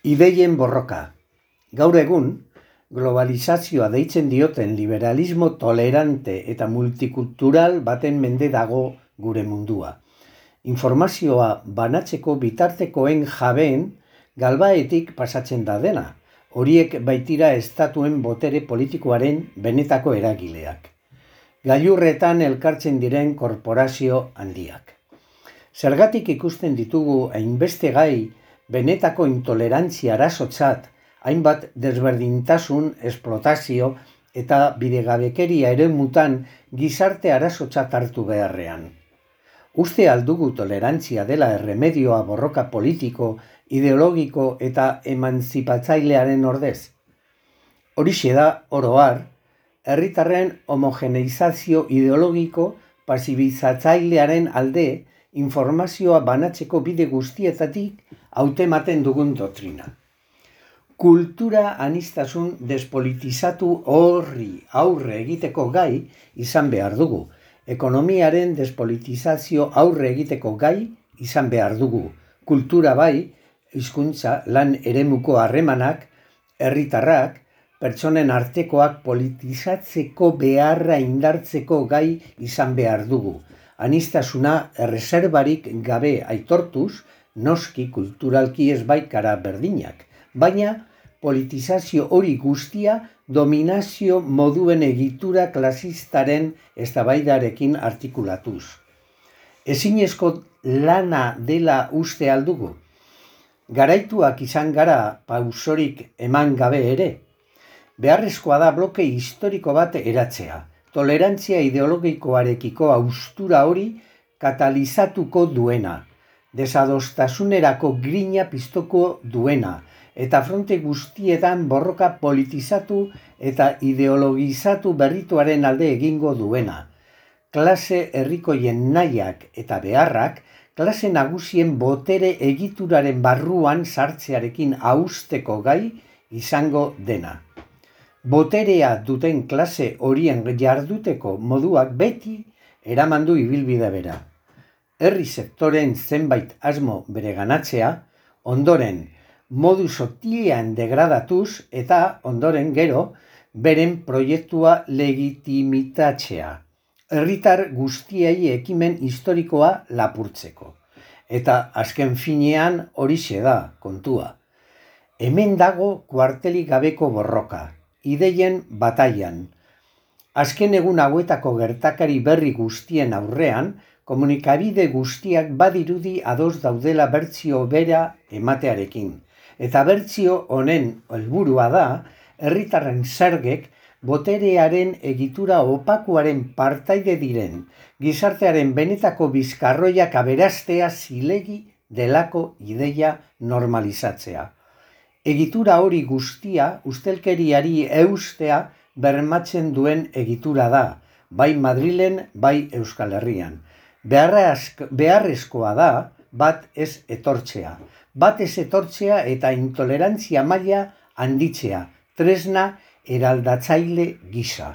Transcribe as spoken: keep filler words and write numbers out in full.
Ideien borroka. Gaur egun, globalizazioa deitzen dioten liberalismo tolerante eta multikultural baten mende dago gure mundua. Informazioa banatzeko bitartekoen jabeen galbaetik pasatzen da dena. Horiek baitira estatuen botere politikoaren benetako eragileak. Gailurretan elkartzen diren korporazio handiak. Zergatik ikusten ditugu hainbeste gai benetako intolerantzia arazotzat, hainbat desberdintasun, esplotazio eta bidegabekeria eremutan gizarte arazotzat hartu beharrean. Uste aldugu tolerantzia dela erremedioa borroka politiko, ideologiko eta emantzipatzailearen ordez. Horixe da, oro har, herritarren homogeneizazio ideologiko pasibizatzailearen alde informazioa banatzeko bide guztietatik hautematen dugun doktrina. Kultura aniztasun despolitizatu horri aurre egiteko gai izan behar dugu. Ekonomiaren despolitizazio aurre egiteko gai izan behar dugu. Kultura bai, hizkuntza, lan eremuko harremanak, herritarrak, pertsonen artekoak politizatzeko beharra indartzeko gai izan behar dugu. Anistasuna erreserbarik gabe aitortuz, noski kulturalki ez baikara berdinak, baina politizazio hori guztia dominazio moduen egitura klasistaren eztabaidarekin artikulatuz. Ezinezko lana dela uste aldugu. Garaituak izan gara pausorik eman gabe ere. Beharrezkoa da bloke historiko bat eratzea. Tolerantzia ideologikoarekiko haustura hori katalizatuko duena. Desadostasunerako grina piztoko duena, eta fronte guztietan borroka politizatu eta ideologizatu berrituaren alde egingo duena. Klase herrikoien nahiak eta beharrak, klase nagusien botere egituraren barruan sartzearekin hausteko gai izango dena. Boterea duten klase horien jarduteko moduak beti eramandu ibilbide bera. Herri sektoren zenbait asmo bereganatzea, ondoren modu sotilean degradatuz eta ondoren gero beren proiektua legitimitatzea. Herritar guztiei ekimen historikoa lapurtzeko. Eta azken finean horixe da kontua. Hemen dago kuartelik gabeko borroka, ideien bataian. Azken egun hauetako gertakari berri guztien aurrean, komunikabide guztiak badirudi ados daudela bertsio bera ematearekin. Eta bertsio honen helburua da, herritarren zergek boterearen egitura opakuaren partaide diren, gizartearen benetako bizkarroiak aberastea zilegi delako ideia normalizatzea. Egitura hori guztia ustelkeriari eustea bermatzen duen egitura da, bai Madrilen, bai Euskal Herrian. Beharrezkoa da bat ez etortzea. Bat ez etortzea eta intolerantzia maila handitzea, tresna eraldatzaile gisa.